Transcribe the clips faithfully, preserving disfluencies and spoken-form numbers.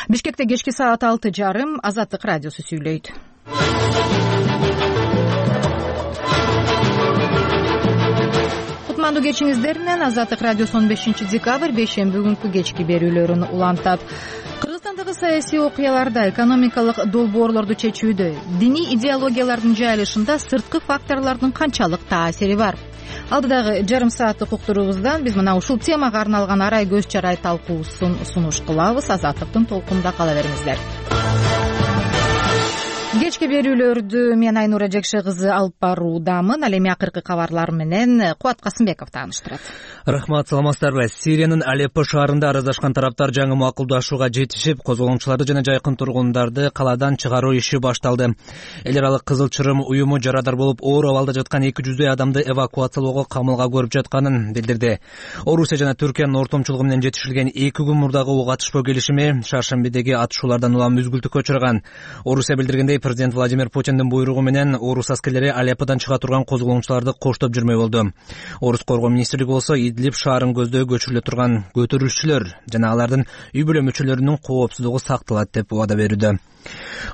Бишкекте кечки саат алты жарым Азаттык радиосу сүйлөйт. Кутмандуу кечиңиздер менен Азаттык радиосу он бешинчи декабрь бейшемби күнкү кечки берүүлөрүн улантат. Кыргызстандагы саясий окуяларда, экономикалык долбоорлорду чечүүдө, диний идеологиялардын жайылышында сырткы факторлордун канчалык таасири бар? Алдыдагы жарым сааттык уктуруубуздан биз мына ушул темага арналган арай көз чарай талкуусун сунуш кылабыз. Азаттыктын толкунунда кала бериңиздер. Кечки берүүлөрдү мен Айнура Жекше кызы алып баруудамын. Ал эми акыркы кабарлар менен Кубат Касымбеков тааныштырат. Рахмат, саламатсыздарбы? Сириянын Алеппо шаарында араздашкан тараптар жаңы макулдашууга жетишип, козголоңчуларды жана жайкын тургундарды калаадан чыгаруу иши башталды. Эл аралык Кызыл Чырым уюму жарадар болуп оор абалда жаткан эки жүздөй адамды эвакуациялоого камылга көрүп жатканын билдирди. Орусия жана Түркиянын ортомчулугу менен жетишилген эки күн мурдагы ок атышпоо келишими Шаршембидеги атышуулардан улам үзгүлтүккө учураган. Орусия билдиргендей, президент Владимир Путиндин буйругу менен орус аскерлери Алепподан чыга турган козголоңчуларды коштоп жүрмөй болду. Орус коргоо министрлиги болсо Идлиб шаарын көздөй көчүрүлө турган көтөрүлүшчүлөр жана алардын үй бүлө мүчөлөрүнүн коопсуздугу сакталат деп убада берүүдө.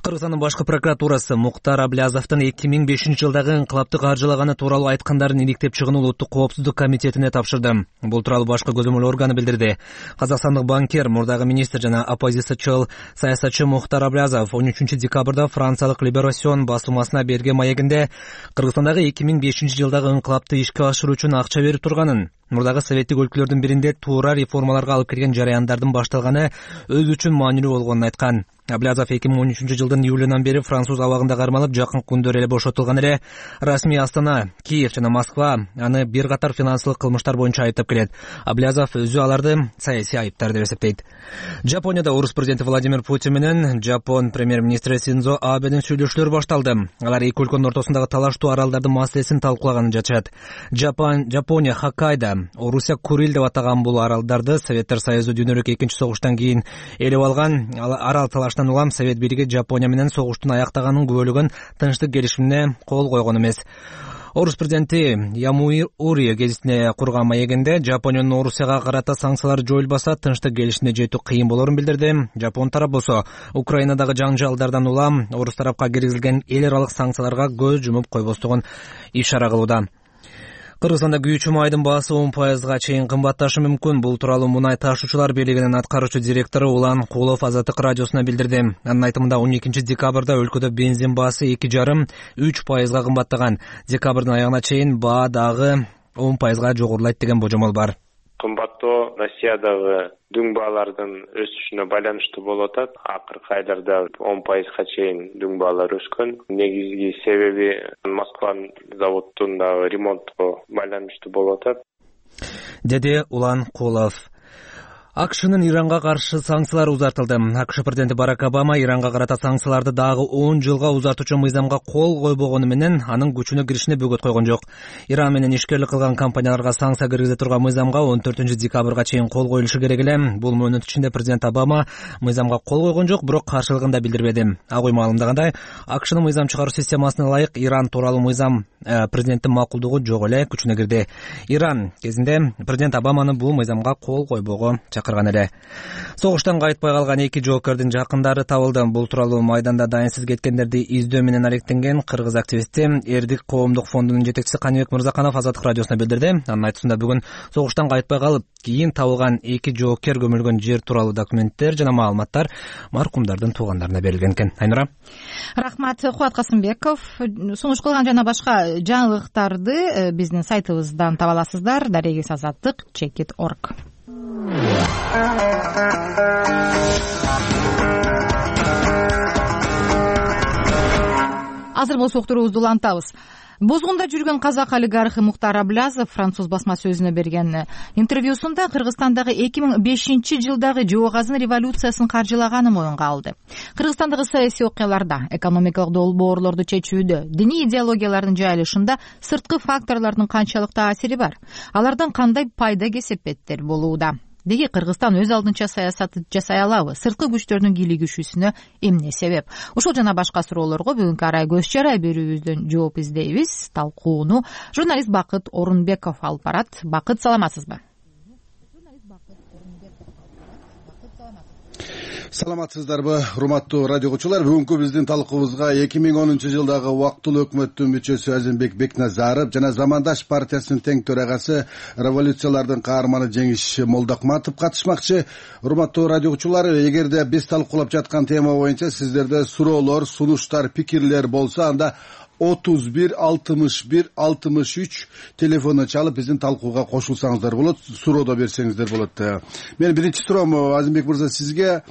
Кыргызстандын башкы прокуратурасы Муктар Аблязовдун эки миң бешинчи жылдагы инкылапты каржылаганы тууралуу айткандарын иликтеп чыгууну Улуттук коопсуздук комитетине тапшырды. Бул тууралуу башкы көзөмөл органы билдирди. Казакстандык банкир, мурдагы министр жана оппозициячыл саясатчы Муктар Аблязов он үчүнчү декабрда франциялык Либерасион басылмасына берген маегинде Кыргызстандагы эки миң бешинчи жылдагы инкылапты ишке ашыруу үчүн акча берип турганын, мурдагы советтик өлкөлөрдүн биринде туура реформаларга алып келген жараяндардын башталганы өзү үчүн маанилүү болгонун айткан. Аблязов эки миң он үчүнчү жылдын июлунан бери француз абагында кармалып, жакын күндөр эле бошотулган эле. Расмий Астана, Киев жана Москва аны бир катар финансылык кылмыштар боюнча айыптап келет. Аблязов өзү аларды саясий айыптар деп эсептейт. Жапонияда орус президенти Владимир Путин менен Жапон премьер-министри Синдзо Абенин сүйлөшүүлөрү башталды. Алар эки өлкөнүн ортосундагы талаштуу аралдардын маселесин талкуулаганын жатышат. Жапон, Жапония Хоккайдо, Орусия Курил деп атаган бул аралдарды Советтер Союзу дүйнөлүк экинчи согуштан кийин элеп алган. Арал талаштан улам Совет бийлиги Жапония менен согуштун аяктаганын күбөлөгөн тынчтык келишимине кол койгон эмес. Орус президенти Ямури гезитине курган маегинде Жапониянын Орусияга карата санкциялары жоюлбаса, тынчтык келишимине жетүү кыйын болорун билдирди. Жапон тарап болсо Украинадагы жаңжалдардан улам орус тарапка киргизилген эл аралык санкцияларга көз жумуп койбостугун ишара кылууда. Кыргызстанда күйүүчү майдын баасы он пайызга чейин кымбатташы мүмкүн. Бул тууралуу Мунай ташуучулар бийлигинин аткаруучу директору Улан Кулов Азаттык радиосуна билдирди. Анын айтымында он экинчи декабрда өлкөдө бензин баасы эки жарым үч пайызга кымбаттаган. Декабрдын аягына чейин баа дагы он пайызга жогорулайт деген божомол бар. Кымбаттоо Россиядагы дүң баалардын өсүшүнө байланыштуу болуп атат. Акыркы айларда он пайызга чейин дүң баалар өскөн. Негизги себеби Москванын заводундагы ремонтко байланыштуу болуп атат, деди Улан Кулов. АКШнын Иранга каршы санкциялары узартылды. АКШ президенти Барак Обама Иранга карата санкцияларды дагы он жылга узартуучу мыйзамга кол койбогону менен анын күчүнө киришине бөгөт койгон жок. Иран менен ишкерлик кылган компанияларга санкция киргизе турган мыйзамга он төртүнчү декабрга чейин кол коюлушу керек эле. Бул мөөнөт ичинде президент Обама мыйзамга кол койгон жок, бирок каршылыгын да билдирбеди. Ак үй маалымдагандай, АКШнын мыйзам чыгаруу системасына ылайык Иран тууралуу мыйзам э, президенттин макулдугу жок эле күчүнө кирди. Иран кезинде президент Обаманы бул мыйзамга кол койбого чакырган эле. Согуштан кайтпай калган эки жоокердин жакындары табылды. Бул тууралуу майданда дайынсыз кеткендерди издөө менен алектенген кыргыз активисти Эрдик коомдук фондунун жетекчиси Каныбек Мырзаканов Азаттык радиосуна билдирди. Анын айтуусунда бүгүн согуштан кайтпай калып, кийин табылган эки жоокер көмүлгөн жер тууралуу документтер жана маалыматтар маркумдардын туугандарына берилген экен. Айнура. Рахмат, Кубат Касымбеков. Сунуш кылган жана башка жаңылыктарды биздин сайтыбыздан таба аласыздар. Дарегиз азаттык чекит точка орг. Азыр болсо уктуруубузду улантабыз. Бозгунда жүргөн казак олигархы Муктар Аблязов француз басма сөзүнө берген интервьюсунда Кыргызстандагы эки миң бешинчи жылдагы Жоогазын революциясын каржылаганын моюнга алды. Кыргызстандагы саясий окуяларда, экономикалык долбоорлорду чечүүдө, диний идеологиялардын жайылышында сырткы факторлордун канчалык таасири бар? Алардан кандай пайда кесепеттер болууда? Деги Кыргызстан өз алдынча саясат жасай алабы? Сырткы күчтөрдүн кийлигишүүсүнө эмне себеп? Ушул жана башка суроолорго бүгүнкү арай көз чарай берүүбүздөн жооп издейбиз. Талкууну журналист Бакыт Орунбеков алып барат. Бакыт, саламатсызбы? Саламатсыздарбы, урматтуу радио угуучулар. Бүгүнкү биздин талкуубузга эки миң онунчу жылдагы убактылуу өкмөттүн мүчөсү Азимбек Бекназаров жана Замандаш партиясынын тең төрагасы, революциялардын каарманы Жеңиш Молдокматов катышмакчы. Урматтуу радио угуучулар, эгерде биз талкуулап жаткан тема боюнча сиздерде суроолор, сунуштар, пикирлер болсо, анда отуз бир алтымыш бир алтымыш үч телефону чалып биздин талкууга кошулсаңыздар болот, суроо да берсеңиздер болот. Мен биринчи суроом Азимбек мырза сизге.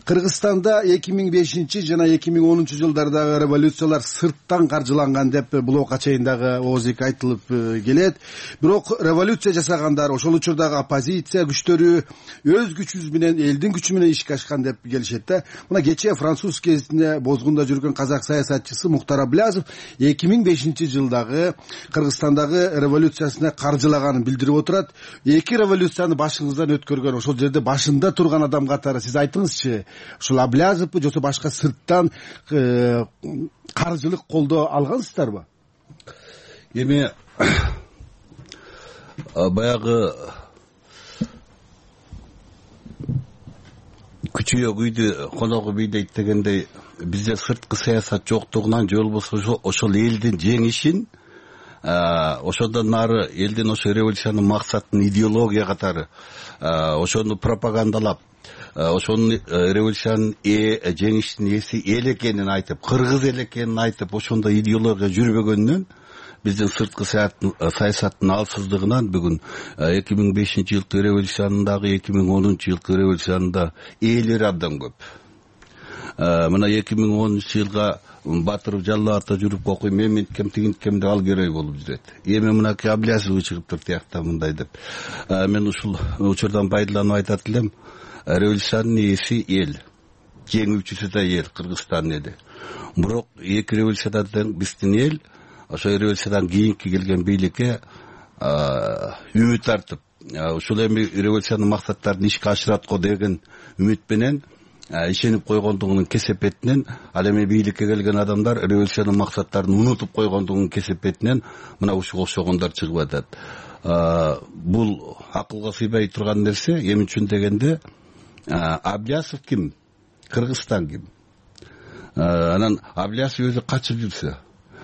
Кыргызстанда эки миң бешинчи жана эки миң онунчу жылдардагы революциялар сырттан каржыланган деп блогка чейин дагы ооз эки айтылып келет. Бирок революция жасагандар, ошол учурдагы оппозиция күчтөрү өз күчүбүз менен, элдин күчү менен ишке ашкан деп келишет да. Мына кечээ француз кезинде бозгунда жүргөн казак саясатчысы Муктар Аблязов эки миң бешинчи жылдагы Кыргызстандагы революциясына каржылаганын билдирип отурат. Эки революцияны башыңыздан өткөргөн, ошол жерде башында турган адам катары сиз айтыңызчы, ушул Аблязовпу жосо башка сырттан каржылык колдоо алгансыздарбы? Эми баягы күчү үйдү коногу бийдейт дегендей, бизде сырткы саясат жоктугунан же болбосо ошол элдин жеңишин, ошондон нары элдин ошо революциянын максатын идеология катары ошону пропагандалап, ошонун революциянын жеңиштин ээси эл экенин айтып, кыргыз эл экенин айтып, ошондо идеология жүрбөгөндөн биздин сырткы саясаттын алсыздыгынан бүгүн эки миң бешинчи жылкы революциянын дагы эки миң онунчу жылкы революциянын да ээлери абдан көп. Мына эки миң онунчу жылга Батыров Жалал ата жүрүп окуйм, мен минткем тигинткем деп ал герой болуп жүрөт. Эми мынакей Аблязов чыгыптыр тиякта мындай деп. Мен ушул учурдан пайдаланып айтат элем, революциянын ээси эл, жеңүүчүсү да эл, Кыргызстан эли. Бирок эки революциядан биздин эл ошо революциядан кийинки келген бийликке үмүт артып, ушул эми революциянын максаттарын ишке ашырат го деген үмүт менен, ишенип койгондугунун кесепетинен, ал эми бийликке келген адамдар революциянын максаттарын унутуп койгондугунун кесепетинен мына ушуга окшогондор чыгып атат. Бул акылга сыйбай турган нерсе. Эми үчүн дегенде Аблязов ким? Кыргызстан ким? Анан Аблязов өзү качып жүрсө,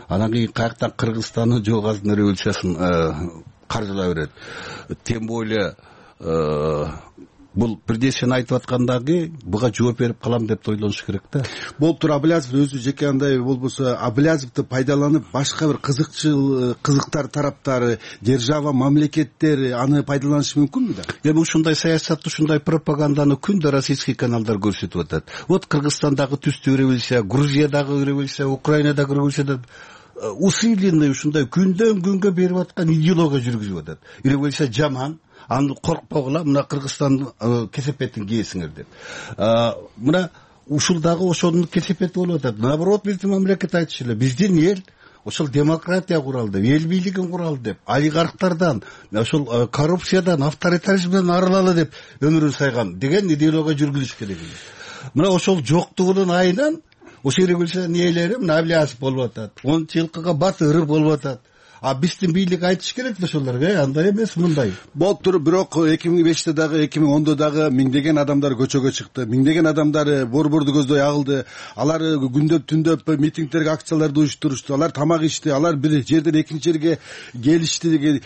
анан кийин каяктан Кыргызстандын жоогазын революциясын каржылай берет. Тем более бул бирде сен айтып аткандагы буга жооп берип калам деп ойлонуш керек да. Болуптур, Аблязов өзү жеке андай болбосо Аблязовду пайдаланып башка бир кызыкчыл кызыктар тараптары, держава, мамлекеттер аны пайдаланышы мүмкүнбү да? Эми ушундай саясатты, ушундай пропаганданы күндө российский каналдар көрсөтүп атат. Вот Кыргызстандагы түстүү революция, Грузиядагы революция, Украинадагы революция усиленный ушундай күндөн күнгө берип аткан идеология жүргүзүп атат. Революция жаман, аны коркпогула, мына Кыргызстандын кесепетин кийесиңер деп. Мына ушул дагы ошонун кесепети болуп атат. Наоборот, биздин мамлекет айтышы эле, биздин эл ошол демократия куралы деп, эл бийлигин куралы деп, олигархтардан, ошол коррупциядан, авторитаризмден арылалы деп өмүрүн сайган деген идеология жүргүзүш керек. Мына ошол жоктугунун айынан ошол революциянын ээлери мына Аблязов болуп атат, онунчу жылкыга Батыров болуп атат. А биздин бийлик айтыш керек да ошолорго, андай эмес, мындай. Болуптур, бирок эки миң беште дагы, эки миң ондо дагы миңдеген адамдар көчөгө чыкты. Миңдеген адамдар борборду көздөй агылды. Алар күндөп түндөп митингдерге, акцияларды уюштурушту. Алар тамак ичти, алар бир жерден экинчи жерге келишти деген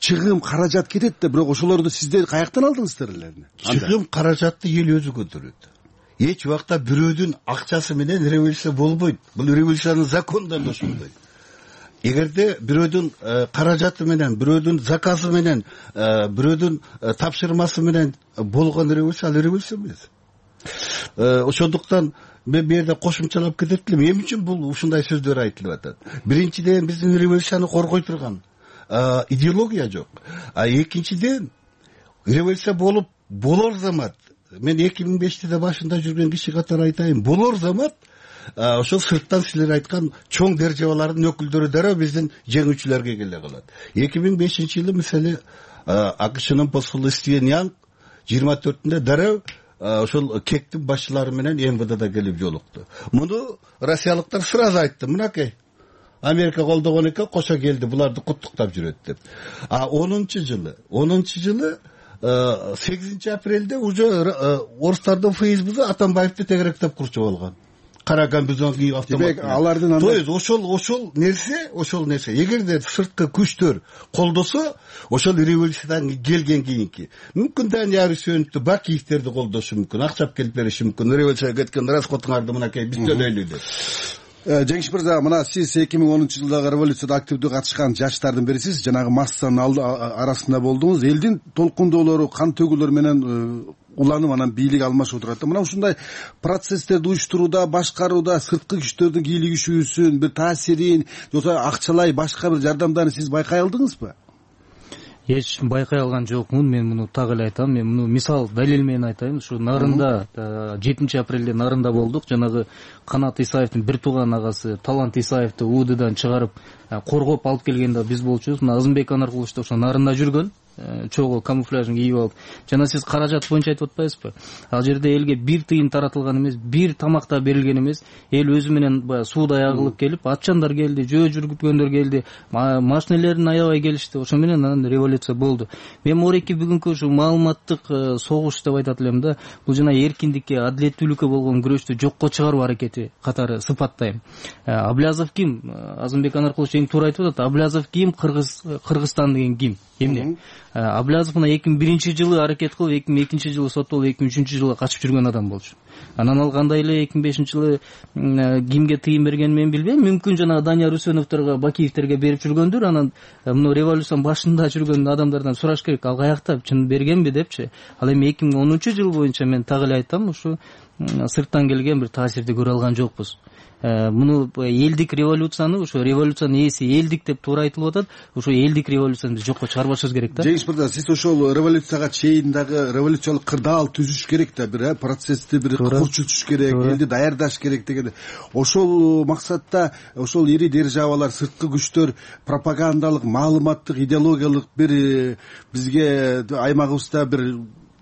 чыгым, каражат кетет да, бирок ошолорду сиздер каяктан алдыңыздар эле? Чыгым, каражатты эл өзү көтөрөт. Эч убакта бирөөдүн акчасы менен революция болбойт. Бул революциянын законунда да ошондой. Эгерде бирөөдүн каражаты менен, бирөөдүн заказы менен, бирөөдүн тапшырмасы менен болгон революция, ал революция эмес. Ошондуктан мен бу жерде кошумчалап кетет элем, эмне үчүн бул ушундай сөздөр айтылып атат? Биринчиден, биздин революцияны коргой турган идеология жок. А экинчиден, революция болуп болор замат, мен эки миң беште башында жүргөн киши катары айтайын, болор замат ошол сырттан силер айткан чоң державалардын өкүлдөрү дароо биздин жеңүүчүлөргө келе калат. эки миң бешинчи жылы мисалы АКШнын посулу Стивен Янг жыйырма төртүндө дароо ошол кектин башчылары менен МВДда келип жолукту. Муну россиялыктар сразу айтты, мынакей Америка колдогон экен, кошо келди, буларды куттуктап жүрөт деп. А онунчу жылы, онунчу жылы сегизинчи апрелде уже орустардын фейсбугу Атамбаевди тегеректеп курчу болгон. Кара комбинезон кийип автомат. Демек алардын то есть ошол ошол нерсе, ошол нерсе эгерде сырткы күчтөр колдосо, ошол революциядан келген кийинки мүмкүн Данияр Үсөновду, Бакиевтерди колдошу мүмкүн, акчап келип бериши мүмкүн. Революцияга кеткен расходуңарды мынакей биз төлөйлү деп. Жеңиш мырза, мына сиз эки миң онунчу жылдагы революцияда активдүү катышкан жаштардын бирисиз, жанагы массанын арасында болдуңуз. Элдин толкундоолору, кан төгүүлөр менен уланып анан бийлик алмашып отурат. Мына ушундай процесстерди уюштурууда, башкарууда сырткы күчтөрдүн кийлигишүүсүн, бир таасирин, жоксо акчалай башка бир жардамдарын сиз байкай алдыңызбы? Эч байкай алган жокмун. Мен муну так эле айтам. Мен муну мисал далил менен айтайын. Ушу Нарында жетинчи апрелде Нарында болдук. Жанагы Канат Исаевдин бир тууган агасы Талант Исаевди УДдан чыгарып коргоп алып келгенде биз болчубуз. Мына Азымбек Анаркулович да ошо Нарында жүргөн. Чогуу камуфляжын кийип алып. Жана сиз каражат боюнча айтып атпайсызбы? Ал жерде элге бир тыйын таратылган эмес, бир тамак да берилген эмес. Эл өзү менен баягы суудай агылып келип, атчандар келди, жөө жүргүткөндөр келди, машинелерин аябай келишти. Ошо менен анан революция болду. Мен морекки бүгүнкү ушу маалыматтык согуш деп айтат элем да. Бул жана эркиндикке, адилеттүүлүккө болгон күрөштү жокко чыгаруу аракети катары сыпаттайм. Аблязов ким? Азымбек Анаркулович эң туура айтып атат. Аблязов ким? Кыргыз Кыргызстан деген ким? Эмне? Аблязов мына эки миң биринчи жылы аракет кылып, эки миң экинчи жылы соттолуп, эки миң үчүнчү жылы качып жүргөн адам болчу. Анан ал кандай эле эки миң бешинчи жылы кимге тыйын бергенин мен билбейм. Мүмкүн жана Данияр Үсөновдорго, Бакиевтерге берип жүргөндүр. Анан муну революциянын башында жүргөн адамдардан сураш керек, ал каякта чын бергенби депчи. Ал эми эки миң онунчу жыл боюнча мен так эле айтам, ушу сырттан келген бир таасирди көрө алган жокпуз. Муну элдик революцияны, ошо революциянын ээси элдик деп туура айтылып атат. Ошо элдик революцияны биз жокко чыгарбашыбыз керек да. Жеңиш мырза, сиз ошол революцияга чейин дагы революциялык кырдаал түзүш керек да, бир процессти бир курчутуш керек, элди даярдаш керек деген. Ошол максатта ошол ири державалар, сырткы күчтөр пропагандалык, маалыматтык, идеологиялык бир бизге аймагыбызда бир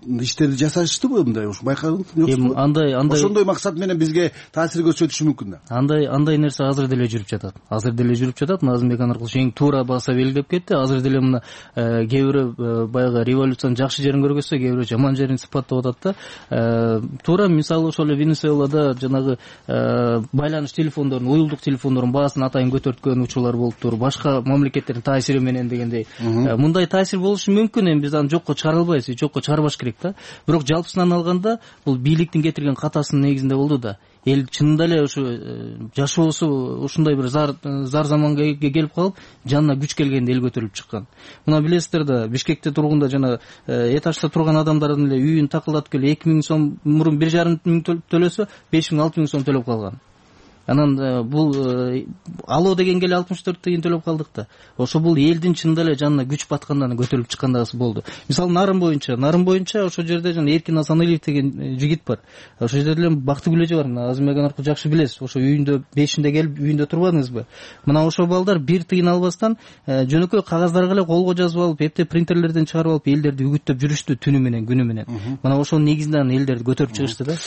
иштерди жасаштыбы мындай? Ушу байкадыңызбы? Эми андай андай ошондой максат менен бизге таасир көрсөтүшү мүмкүн да. Андай андай нерсе азыр деле жүрүп жатат. Азыр деле жүрүп жатат. Азымбек Анаркулович эң туура баса белгилеп кетти. Азыр деле мына кээ бирөө баягы революциянын жакшы жерин көргөзсө, кээ бирөө жаман жерин сыпаттап атат да. Туура мисалы ошол эле Венесуэлада жанагы байланыш телефондорун, уюлдук телефондордун баасын атайын көтөрткөн учурлар болуптур. Башка мамлекеттердин таасири менен дегендей. Мындай таасир болушу мүмкүн, эми биз аны жокко чыгара албайбыз, жокко чыгарбаш керек. Бирок жалпысынан алганда бул бийликтин кетирген катасынын негизинде болду да. Эл чынында эле ушу жашоосу ушундай бир зар зар заманга келип калып, жанына күч келгенде эл көтөрүлүп чыккан. Мына билесиздер да, Бишкекте тургунда жана этажда турган адамдардын эле үйүн такылдатып келип эки миң сом мурун бир жарым миң төлөсө, беш миң алты миң сом төлөп калган. Анан бул алоо дегенге эле алтымыш төрт тыйын төлөп калдык да. Ошо бул элдин чынында эле жанына күч баткандан көтөрүлүп чыккандагысы болду. Мисалы Нарын боюнча, Нарын боюнча ошо жерде жана Эркин Асаналиев деген жигит бар. Ошо жерде деле Бактыгүлөжө бар. Мына Азымбек Анаркулович жакшы билесиз. Ошо үйүндө бешинде келип үйүндө турбадыңызбы? Мына ошо балдар бир тыйын албастан жөнөкөй кагаздарга эле колго жазып алып, эптеп принтерлерден чыгарып алып, элдерди үгүттөп жүрүштү түнү менен, күнү менен. Мына ошонун негизинен элдерди көтөрүп чыгышты да.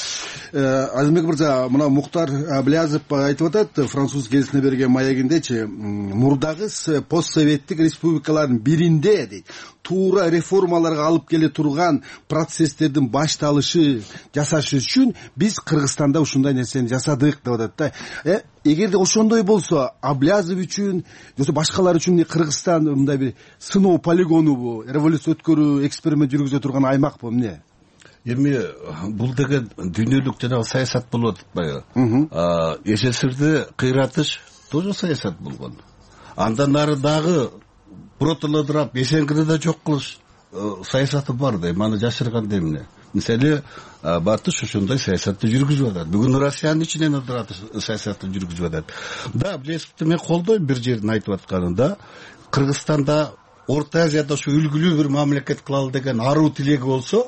Азымбек мырза, мына Муктар Аблязов айтып атат, француз гезитине берген маегиндечи, мурдагы постсоветтик республикалардын биринде дейт, туура реформаларга алып келе турган процесстердин башталышы жасаш үчүн биз Кыргызстанда ушундай нерсени жасадык деп атат да. Э, эгерде ошондой болсо, Аблязов үчүн, жоксо башкалар үчүн Кыргызстан мындай бир сыноо полигонубу, революция өткөрүү, эксперимент жүргүзө турган аймакпы эмне? Эми бул деген дүйнөлүк жана саясат болуп атпайбы? СССРди кыйратыш тоже саясат болгон. Андан нары дагы протолодурап Эсенгирде жок кылыш саясаты бар да. Маны жашырган эмне? Мисалы, Батыш ошондой саясатты жүргүзүп атат. Бүгүн Россиянын ичинен отурат саясатты жүргүзүп атат. Да, Аблязовду мен колдойм бир жерин айтып атканында. Кыргызстанда, Орто Азияда ушу үлгүлүү бир мамлекет кылалы деген аруу тилеги болсо,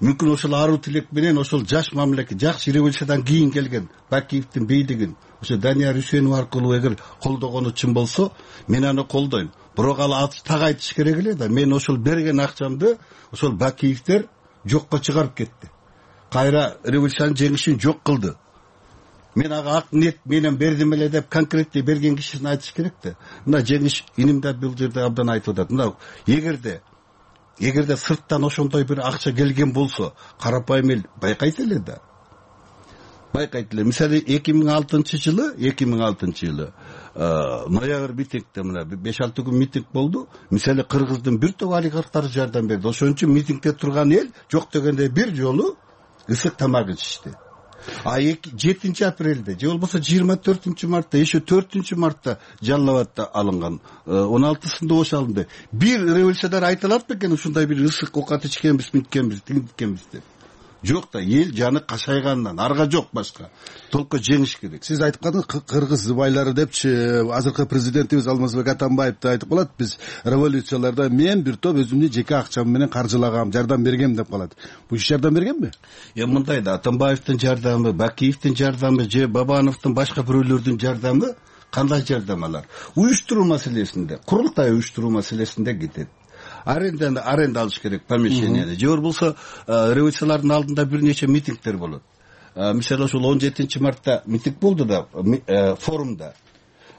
мүмкүн ошол аруу тилек менен ошол жаш мамлекет, жакшы революциядан кийин келген Бакиевдин бийлигин ошо Данияр Үсөнов аркылуу эгер колдогону чын болсо, мен аны колдойм. Бирок ал так айтыш керек эле да. Мен ошол берген акчамды ошол Бакиевдер жокко чыгарып кетти. Кайра революциянын жеңишин жок кылды. Мен ага ак ниет менен бердим эле деп конкретте берген кишини айтыш керек да. Мына жеңиш иним да бул жерде абдан айтып атат. Мына эгерде эгерде сырттан ошондой бир акча келген болсо карапайым эл байкайт эле да, байкайт эле. Мисалы эки миң алтынчы жылы эки миң алтынчы жылы ноябрь митингде мына беш алты күн митинг болду. Мисалы Кыргыздын бир топ олигархтары жардам берди. Ошон үчүн митингде турган эл жок дегенде бир жолу ысык тамак ичишти. А жетинчи апрелде же болбосо жыйырма төртүнчү мартта, еще төртүнчү мартта Жалал Абадта алынган, он алтысында ошо алынды. Бир революционер айта алат бекен ушундай бир ысык оокат ичкенбиз, миткенбиз, тигиткенбиз деп? Жок да, эл жаны кашайгандан арга жок башка. Толку жеңиш керек. Сиз айтып калдыңыз, кыргыз байлары депчи, азыркы президентибиз Алмазбек Атамбаев да айтып калат, биз революцияларда мен бир топ өзүмдүн жеке акчам менен каржылагам, жардам бергем деп калат. Бул иш жардам бергенби? Эми мындай да, Атамбаевдин жардамы, Бакиевдин жардамы же Бабановдун башка бирөөлөрдүн жардамы кандай жардам алар? Уюштуруу маселесинде, курултай уюштуруу маселесинде кетет. Аренда аренда алыш керек помещенияны. Же болбосо революциялардын алдында бир нече митингдер болот. Мисалы ошол он жетинчи мартта митинг болду да, форумда.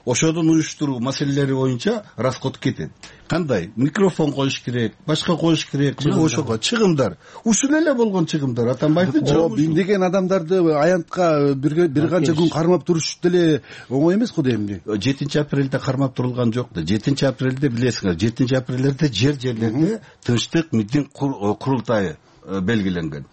Ошодун уюштуруу маселелери боюнча расход кетет. Кандай? Микрофон коюш керек, башка коюш керек, ошого чыгымдар. Ушул эле болгон чыгымдар. Атамбаевдин чыгымы. Биңдеген адамдарды аянтка бир канча күн кармап туруш деле оңой эмес го дейм. жетинчи апрелде кармап турулган жок да. жетинчи апрелде билесиңер, жетинчи апрелде жер жерлерде тынчтык митинг курултайы белгиленген.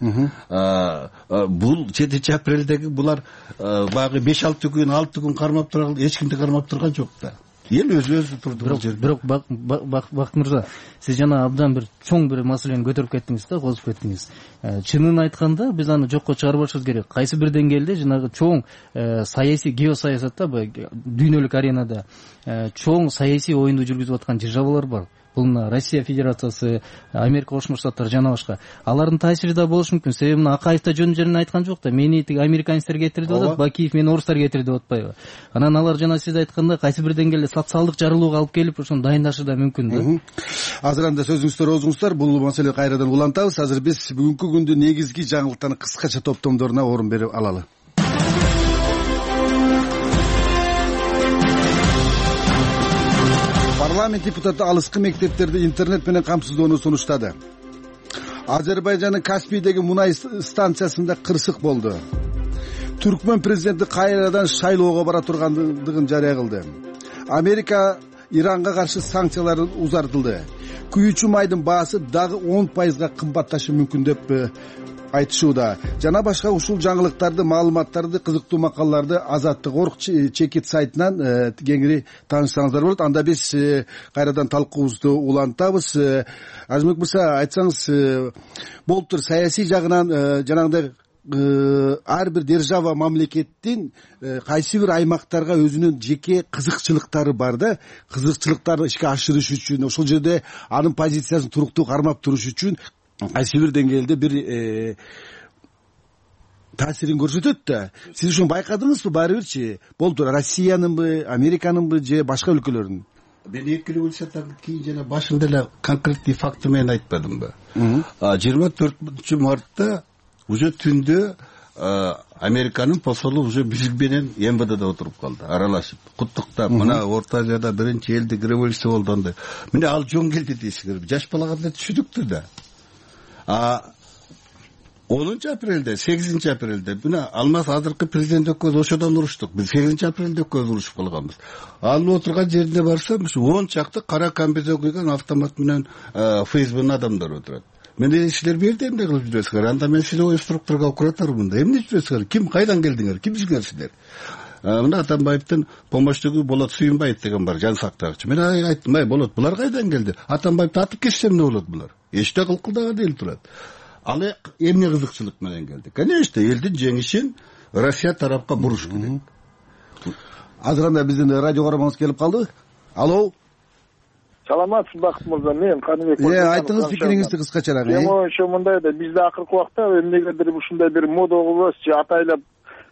Бул жетинчи апрелдеги булар багы беш алты күн, алты күн кармап турган, эч кимди кармап турган жок да. Эл өзү өзү турду бул жерде. Бирок Бакыт мырза, сиз жана абдан бир чоң бир маселени көтөрүп кеттиңиз да, козуп кеттиңиз. Чынын айтканда биз аны жокко чыгарбашыбыз керек. Кайсы бир деңгээлде жанагы чоң саясий геосаясатта, дүйнөлүк аренада чоң саясий оюнду жүргүзүп аткан державалар бар. Бул мына Россия Федерациясы, Америка Кошмо Штаттары жана башка. Алардын таасири да болушу мүмкүн. Себеби мына Акаев да жөн жерин айткан жок да. Мени тиги американецтер кетирди деп атат, Бакиев мени орустар кетирди деп атпайбы? Анан алар жана сиз айткандай кайсы бир деңгээлде социалдык жарылууга алып келип, ошону дайындашы да мүмкүн да. Азыр анда сөзүңүздөр оозуңуздар, бул маселени кайрадан улантабыз. Азыр биз бүгүнкү күндүн негизги жаңылыктарын кыскача топтомдоруна орун берип алалы. Парламент депутаты алыскы мектептерди интернет менен камсыздоону сунуштады. Азербайжандын Каспийдеги мунай станциясында кырсык болду. Түркмөн президенти кайрадан шайлоого бара тургандыгын жарыя кылды. Америка Иранга каршы санкциялар узартылды. Күйүүчү майдын баасы дагы он пайызга кымбатташы мүмкүн деп айтышууда. Жана башка ушул жаңылыктарды, маалыматтарды, кызыктуу макалаларды Азаттык Орг чекит сайтынан кеңири таанышсаңыздар болот. Анда биз кайрадан талкуубузду улантабыз. Ажымбек мырза, айтсаңыз, болуптур саясий жагынан жанагындай ар бир держава мамлекеттин кайсы бир аймактарга өзүнүн жеке кызыкчылыктары бар да, кызыкчылыктарды ишке ашырыш үчүн, ошол жерде анын позициясын туруктуу кармап туруш үчүн кайсы бир деңгээлде бир таасирин көрсөтөт да. Сиз ушуну байкадыңызбы? Баары бирчи болду, Россиянынбы, Американынбы же башка өлкөлөрдүн? Мен эки революциядан кийин жана башында эле конкреттүү факты менен айтпадымбы? жыйырма төртүнчү мартта уже түндө Американын посолу уже биз менен эм вэ дэде отуруп калды, аралашып, куттуктап, мына Орто Азияда биринчи элдик революция болду андай. Мына ал жөн келди дейсиңер. Жаш балага да түшүдүктү да. А онунчу апрелде, сегизинчи апрелде мына Алмаз азыркы президент экөөбүз ошодон уруштук. Биз сегизинчи апрелде экөөбүз урушуп калганбыз. Ал отурган жерине барсам, он чакты кара комбезон кийген автомат менен ФСБнын адамдары отурат. Мен силер бул жерде эмне кылып жүрөсүңөр? Анда мен силер структурага куратармында. Эмне жүрөсүңөр? Ким, кайдан келдиңер? Кимсиңер силер? Мына Атамбаевдин помощнигу Болот Сүйүнбаев деген бар, жан сактагычы. Мен айттым, ай Болот, булар кайдан келди? Атамбаевди атып кетсе эмне болот булар? Эчте кылкылдаган эл турат. Ал эмне кызыкчылык менен келди? Конечно, элдин жеңишин Россия тарапка буруш керек. Азыр анда биздин радио көрөрманыбыз келип калды. Алло. Саламатсызбы Бакыт мырза, мен Каныбек. Э, айтыңыз пикириңизди кыскачараак. Мен ошо мындай да, бизде акыркы убакта эмнегедир ушундай бир мода болуп, атайлап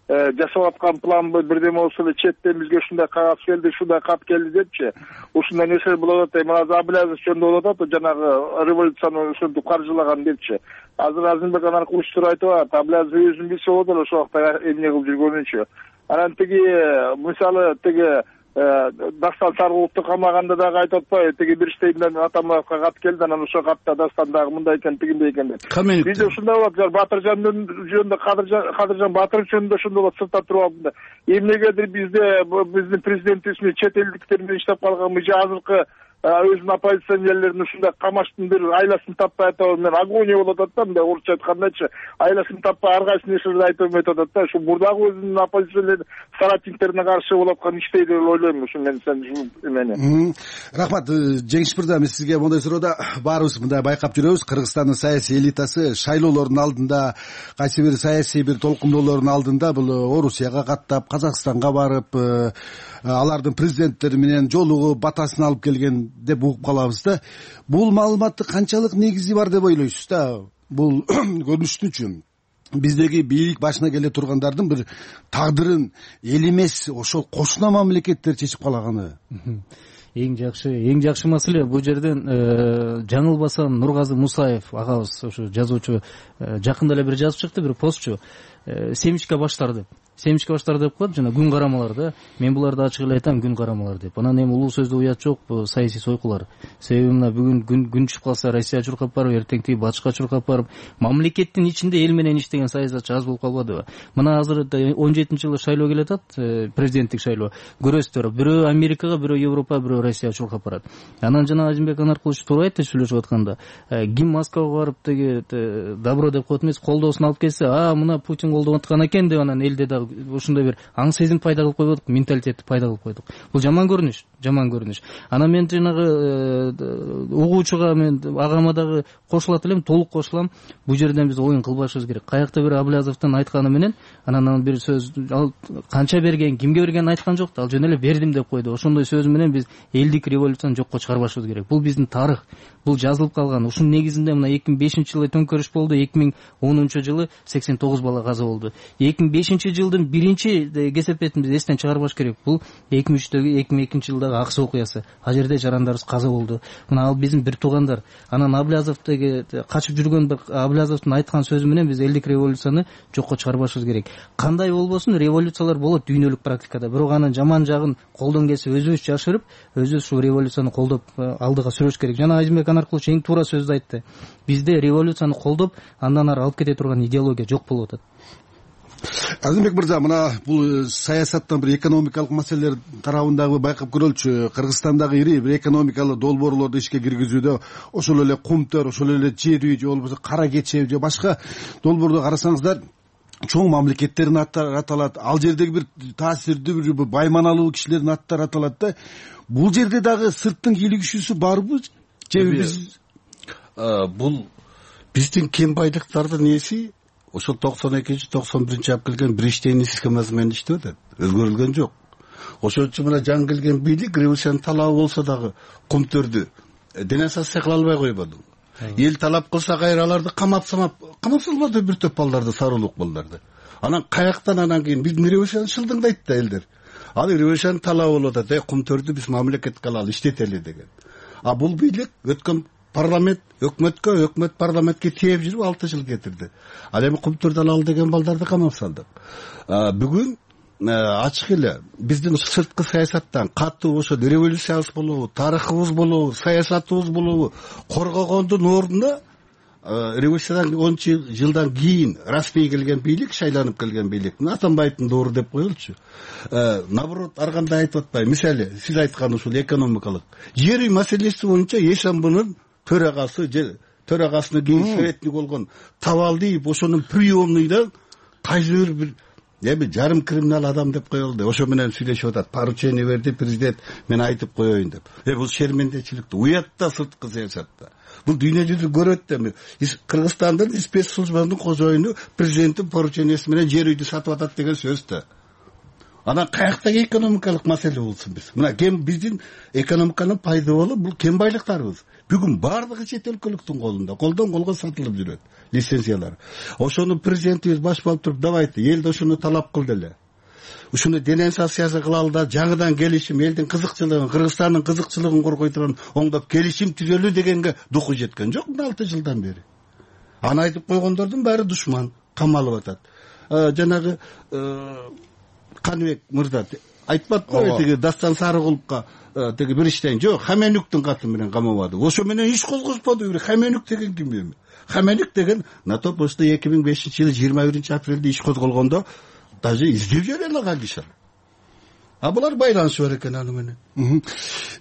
жасап аткан планбы бирдеме болсо эле четтен бизге ушундай кагаз келди, ушундай кат келди депчи. Ушундай нерсе болуп атат. Мына Абылязов жөнүндө болуп атат, жанагы революцияны ушинтип каржылаган депчи. Азыр Азимбек анаркы учур айтып атат. Абылязов өзүн билсе болот эле ошол убакта эмне кылып жүргөнүнчү. Анан тиги мисалы тиги Дастан Саргуловду камаганда дагы айтып атпайбы, тиги бир иштеймден Атамбаевка кат келди, анан ошол катта Дастан дагы мындай экен, тигиндей экен деп. Бизде ушундай болот, Батыржан жөнүндө, Кадыржан Батыров жөнүндө ошондой болот, сыртта туруп алганда. Эмнегедир бизде биздин президентибиз чет элдиктер менен иштеп калган, же азыркы өзүнүн оппозиционерлерин ушундай камаштын бир айласын таппай атабы, мен агония болуп атат да, мындай орусча айткандачы, айласын таппай ар кайсынын эшеде айтып өтүп атат да. Ушу мурдагы өзүнүн оппозиционер соратниктерине каршы болуп аткан иштей деп ойлойм. Ушу мен сен ушул эмени. Рахмат. Жеңиш мырза, мен сизге моундай суроода баарыбыз мындай байкап жүрөбүз. Кыргызстандын саясий элитасы шайлоолордун алдында, кайсы бир саясий бир толкундоолордун алдында бул Орусияга каттап, Казакстанга барып, алардын президенттери менен жолугуп, батасын алып келген деп угуп калабыз да. Бул маалыматты канчалык негизи бар деп ойлойсуз да? Бул көрүнүштүнчү биздеги бийлик башына келе тургандардын бир тагдырын эл эмес, ошол кошуна мамлекеттер чечип калаганы. Эң жакшы, эң жакшы маселе бул жерден жаңылбасам Нургазы Мусаев агабыз, ошо жазуучу, жакында эле бир жазып чыкты, бир постчу, семичка баштар деп. Семичка баштар деп коет, жана күн карамалар да. Мен буларды ачык эле айтам, күн карамалар деп. Анан эми улуу сөздө уят жок, бул саясий сойкулар. Себеби мына бүгүн күн күн түшүп калса Россия чуркап барып, эртең тиги батышка чуркап барып, мамлекеттин ичинде эл менен иштеген саясатчы аз болуп калбадыбы? Мына азыр он жетинчи жылы шайлоо келе атат, президенттик шайлоо. Көрөсүздөр, бирөө Америкага, бирөө Европа, бирөө Россия чуркап барат. Анан жана Азимбек Анаркулович туура айтты сүйлөшүп атканда, ким Москвага барып теги добро деп коет эмес, колдоосун алып келсе, а мына Путин колдоп аткан экен деп анан элде да ушундай бир аң сезим пайда кылып койдук, менталитетти пайда кылып койдук. Бул жаман көрүнүш, жаман көрүнүш. Анан мен жанагы угуучуга, мен агама дагы кошулат элем, толук кошулам. Бул жерден биз оюн кылбашыбыз керек. Каякта бир Аблязовдун айтканы менен анан бир сөз, ал канча берген, кимге бергенин айткан жок да, ал жөн эле бердим деп койду. Ошондой сөз менен биз элдик революцияны жокко чыгарбашыбыз керек. Бул биздин тарых, бул жазылып калган. Ушунун негизинде мына эки миң бешинчи жылы төңкөрүш болду, эки миң онунчу жылы сексен тогуз бала каза болду. эки миң бешинчи жылдын биринчи кесепетин биз эстен чыгарбаш керек. Бул эки миң үчтөгү, эки миң экинчи жылдагы Аксы окуясы. Ал жерде жарандарыбыз каза болду. Мына ал биздин бир туугандар. Анан Аблязовдеги качып жүргөн Аблязовдун айткан сөзү менен биз элдик революцияны жокко чыгарбашыбыз керек. Кандай болбосун, революциялар болот дүйнөлүк практикада. Бирок анын жаман жагын колдон келсе өзүбүз жашырып, өзүбүз ушул революцияны колдоп алдыга сүрөш керек. Жана Азимбек Анаркулович эң туура сөздү айтты. Бизде революцияны колдоп, андан ары алып кете турган идеология жок болуп атат. Азимбек мырза, мына бул саясаттан бир экономикалык маселелер тарабындагы байкап көрөлчү. Кыргызстандагы ири бир экономикалык долбоорлорду ишке киргизүүдө ошол эле Кумтөр, ошол эле Жер үй, же болбосо Кара Кече, же башка долбоорду карасаңыздар, чоң мамлекеттердин аттары аталат. Ал жердеги бир таасирдүү, бир байманалуу кишилердин аттары аталат да. Бул жерде дагы сырттын кийлигишүүсү барбы? Же биз бул биздин кем байлыктардын эси ошол токсон экинчи токсон биринчи алып келген Бриштейн схемасы менен иштеп атат. Өзгөрүлгөн жок. Ошон үчүн мына жаңы келген бийлик революциянын талабы болсо дагы Кумтөрдү денонсация кыла албай койбоду. Эл талап кылса кайра аларды камап самап, камап салбады бир топ балдарды, сарылык балдарды. Анан каяктан анан кийин биздин революцияны шылдыңдайт да элдер. Ал революциянын талабы болуп атат, э Кумтөрдү биз мамлекетке алалы, иштетели деген. А бул бийлик өткөн парламент өкмөткө, өкмөт парламентке тээп жүрүп алты жыл кетирди. Ал эми Кумтөрдү алалы деген балдарды камап салдык. Бүгүн ачык эле биздин сырткы саясаттан катуу ошо революциябыз болобу, тарыхыбыз болобу, саясатыбыз болобу коргогондун ордуна революциядан он жылдан кийин расмий келген бийлик, шайланып келген бийлик Атамбаевдин доору деп коелучу. Наоборот, ар кандай айтып атпайбы. Мисалы, сиз айткан ушул экономикалык жер үй маселеси боюнча ЭСМБнын төрагасы же төрагасынын кийин советник болгон Тавалдиев ошонун приемныйдан кайсы бир эми жарым криминал адам деп коелду. Ошо менен сүйлөшүп атат. Поручение берди президент, мен айтып коеюн деп. Э бул шермендечиликти уятта, сырткы саясатта. Бул дүйнө жүзү көрөт да. Кыргызстандын спецслужбанын кожоюну президенттин поручениясы менен жер үйдү сатып атат деген сөз да. Анан каяктагы экономикалык маселе болсун биз. Мына кем биздин экономиканын пайда болуп, бул кем байлыктарыбыз. Бүгүн бардыгы чет өлкөлүктүн колунда, колдон колго сатылып жүрөт лицензиялар. Ошону президентибиз баш болуп туруп давайте элди ошону талап кыл деле. Ушуну денонсациясы кылалы да, жаңыдан келишим, элдин кызыкчылыгын, Кыргызстандын кызыкчылыгын коргой турган оңдоп келишим түзөлүү дегенге духу жеткен жок мына алты жылдан бери. Аны айтып койгондордун баары душман, камалып атат. Жанагы Каныбек мырза айтпадыбы тиги Дастан Сарыгуловго тиги бир иштен жок Хаменюктун каты менен камабады. Ошо менен иш козгозбоду. Бир Хаменюк деген ким эми? Хаменюк деген НАТО просто эки миң бешинчи жылы жыйырма биринчи апрелде иш козголгондо даже издеп жүрө алган киши. А булар байланышы бар экен аны менен.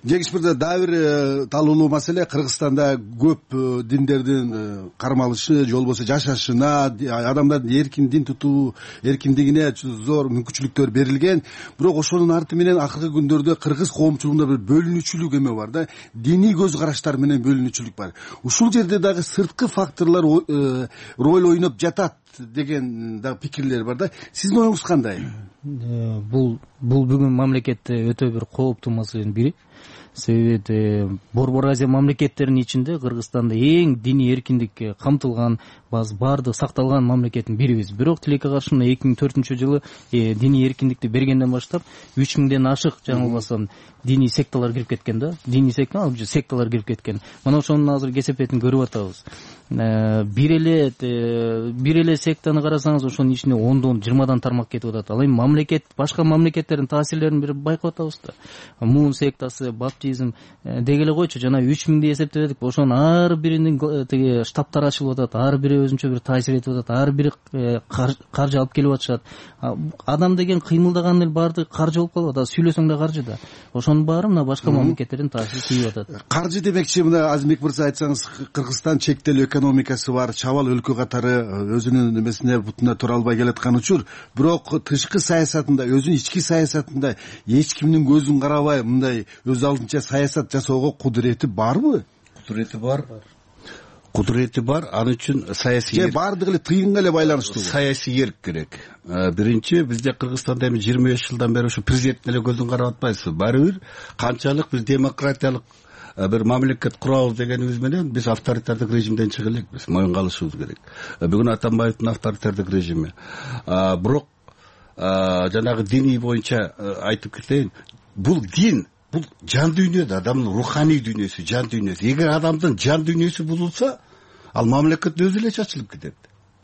Жеңиш мырза, дагы бир талуулуу маселе Кыргызстанда көп диндердин кармалышы же болбосо жашашына, адамдардын эркин дин тутуу эркиндигине зор мүмкүнчүлүктөр берилген. Бирок ошонун арты менен акыркы күндөрдө кыргыз коомчулугунда бир бөлүнүүчүлүк эме бар да, диний көз караштар менен бөлүнүүчүлүк бар. Ушул жерде дагы сырткы факторлор роль ойноп жатат деген да пикирлер бар да. Сиздин оюңуз кандай? Бул бул бүгүн мамлекетте өтө бир кооптуу маселенин бири. Себеби Борбор Азия мамлекеттеринин ичинде Кыргызстанда эң диний эркиндикке камтылган, баардыгы сакталган мамлекеттин бирибиз. Бирок тилекке каршы эки миң төртүнчү жылы диний эркиндикти бергенден баштап үч миңден ашык жаңы болбосом диний секталар кирип кеткен да. Диний секта, секталар кирип кеткен. Мына ошонун азыр кесепетин көрүп атабыз. Бир эле бир эле сектаны карасаңыз ошонун ичинде ондон жыйырмадан тармак кетип атат. Ал эми мамлекет башка мамлекеттердин таасирлерин бир байкап атабыз да. Мун сектасы, баптизм деги эле койчу, жана үч миң деп эсептедик. Ошонун ар биринин тиги штабтары ачылып атат, ар бири өзүнчө бир таасир этип атат, ар бири каржы алып келип атышат. Адам деген кыймылдаган эл баардыгы каржы болуп калып атат, сүйлөсөң да каржы да. Ошонун баары мына башка мамлекеттердин таасири тийип атат. Каржы демекчи, мына Азимбек мырза айтсаңыз, Кыргызстан чектелүү экономикасы бар, чабал өлкө катары өзүнүн эмесине бутуна тура албай келаткан учур, бирок тышкы саясатында, өзүнүн ички саясатында эч кимдин көзүн карабай мындай өз алдынча саясат жасоого кудурети барбы? Кудурети бар. Кудурети бар, аны үчүн саясий же баардыгы эле тыйынга эле байланыштуу? Саясий эрк керек. Биринчи, бизде Кыргызстанда эми жыйырма беш жылдан бери ушу президенттин эле көзүн карап атпайсызбы? Баары бир канчалык биз демократиялык бир мамлекет курабыз дегенибиз менен биз авторитардык режимден чыга элекпиз, моюнга алышыбыз керек. Бүгүн Атамбаевдин авторитардык режими. Бирок жанагы диний боюнча айтып кетейин, бул дин, бул жан дүйнө да, адамдын руханий дүйнөсү, жан дүйнөсү. Эгер адамдын жан дүйнөсү бузулса, ал мамлекет өзү эле чачылып кетет.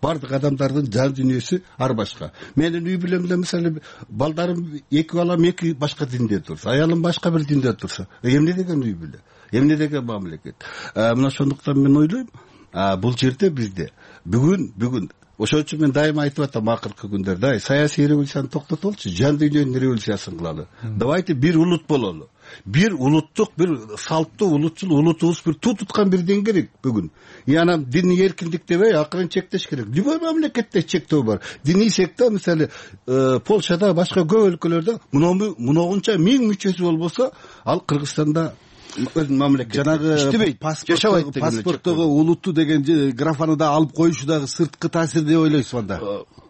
Бардык адамдардын жан дүйнөсү ар башка. Менин үй бүлөм эле мисалы балдарым эки балам эки башка динде турса, аялым башка бир динде турса, эмне деген үй бүлө? Эмне деген мамлекет? Мына ошондуктан мен ойлойм, бул жерде бизде бүгүн бүгүн ошон үчүн мен дайыма айтып атам акыркы күндөрдө, саясий революцияны токтотолчу, жан дүйнөнүн революциясын кылалы. Давайте бир улут бололу. Бир улуттук, бир салттуу улутчул улутубуз бир туу туткан бир ден керек бүгүн. И анан диний эркиндик дебей акырын чектеш керек. Любой мамлекетте чектөө бар. Диний секта мисалы Польшада, башка көп өлкөлөрдө муногунча миң мүчөсү болбосо, ал Кыргызстанда мамлекет жанагы паспорттогу улутту деген графаны да алып коюшу дагы сырткы таасир деп ойлойсузбу анда?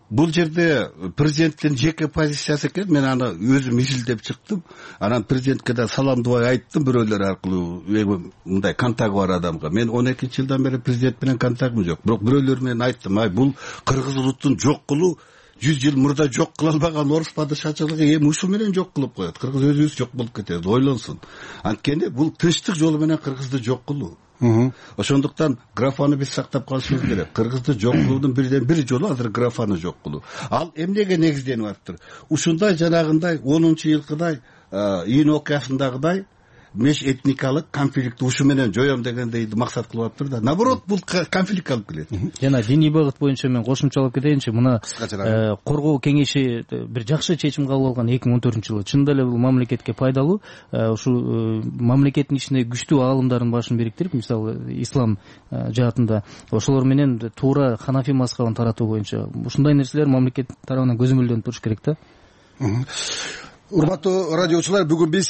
Бул жерде президенттин жеке позициясы экен. Мен аны өзүм изилдеп чыктым. Анан президентке да саламдабай айттым бирөөлөр аркылуу, мындай контакт бар адамга. Мен он экинчи жылдан бери президент менен контактым жок. Бирок бирөөлөр менен айттым, ай бул кыргыз улутун жок кылуу жүз жыл мурда жок кыла албаган орус падышачылыгы эми ушул менен жок кылып коет. Кыргыз өзүбүз жок болуп кетебиз, ойлонсун. Анткени бул тынчтык жолу менен кыргызды жок кылуу. Ошондуктан графаны биз сактап калышыбыз керек. Кыргызды жок кылуунун бирден бир жолу азыр графаны жок кылуу. Ал эмнеге негизденип атыптыр? Ушундай жанагындай онунчу жылкыдай июнь окуясындагыдай меж этникалык конфликти ушу менен жоём дегендей максат кылып атыптыр да. Наоборот, бул конфликт алып келет. Жана диний багыт боюнча мен кошумчалап кетейинчи. Мына коргоо кеңеши бир жакшы чечим кабыл алган эки миң он төртүнчү жылы. Чындап эле бул мамлекетке пайдалуу. Ушу мамлекеттин ичинде күчтүү аалымдардын башын бириктирип, мисалы ислам жаатында ошолор менен туура ханафи мазхабын таратуу боюнча ушундай нерселер мамлекет тарабынан көзөмөлдөнүп туруш керек да. Урматтуу радиочулар, бүгүн биз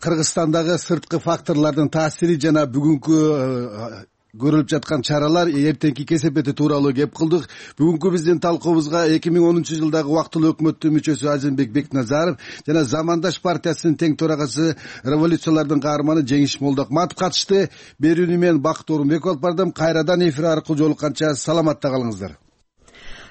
Кыргызстандагы сырткы факторлордун таасири жана бүгүнкү көрүлүп жаткан чаралар, эртеңки кесепети тууралуу кеп кылдык. Бүгүнкү биздин талкуубузга эки миң онунчу жылдагы убактылуу өкмөттүн мүчөсү Азимбек Бекназаров жана Замандаш партиясынын тең төрагасы, революциялардын каарманы Жеңиш Молдокматов катышты. Берүүнү мен Бакыт Орунбеков алып бардым. Кайрадан эфир аркылуу жолукканча саламатта калыңыздар.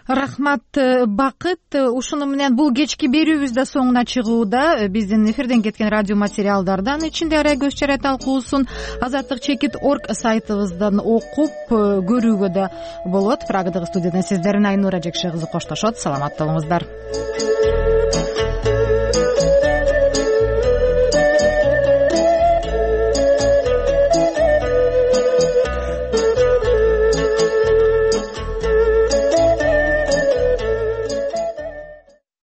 Рахмат, Бакыт. Ушуну менен бул кечки берүүбүз да соңуна чыгууда. Биздин эфирден кеткен радио материалдардан ичинде арай көз чара талкуусун азаттык чекит орг сайтыбыздан окуп көрүүгө да болот. Прагадагы студиядан сиздердин Айнура Жекше кызы коштошот. Саламатта болуңуздар.